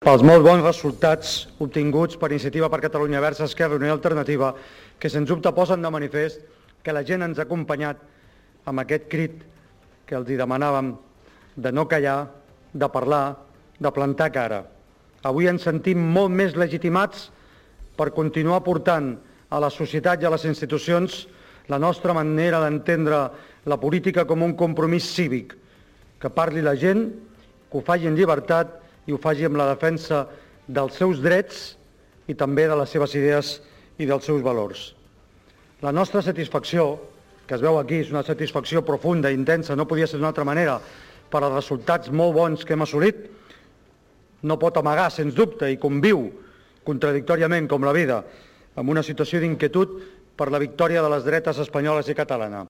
Pels molt bons resultats obtinguts per Iniciativa per Catalunya Verds, Esquerra Unida i Alternativa, que sens dubte posen de manifest que la gent ens ha acompanyat amb aquest crit que els demanàvem de no callar, de parlar, de plantar cara. Avui ens sentim molt més legitimats per continuar portant a la societat i a les institucions la nostra manera d'entendre la política com un compromís cívic, que parli la gent, que ho faci en llibertat i ho faci amb la defensa dels seus drets i també de les seves idees i dels seus valors. La nostra satisfacció, que es veu aquí, és una satisfacció profunda i intensa, no podia ser d'una altra manera, per als resultats molt bons que hem assolit, no pot amagar, sens dubte, i conviu contradictòriament com la vida, amb una situació d'inquietud per la victòria de les dretes espanyoles i catalana.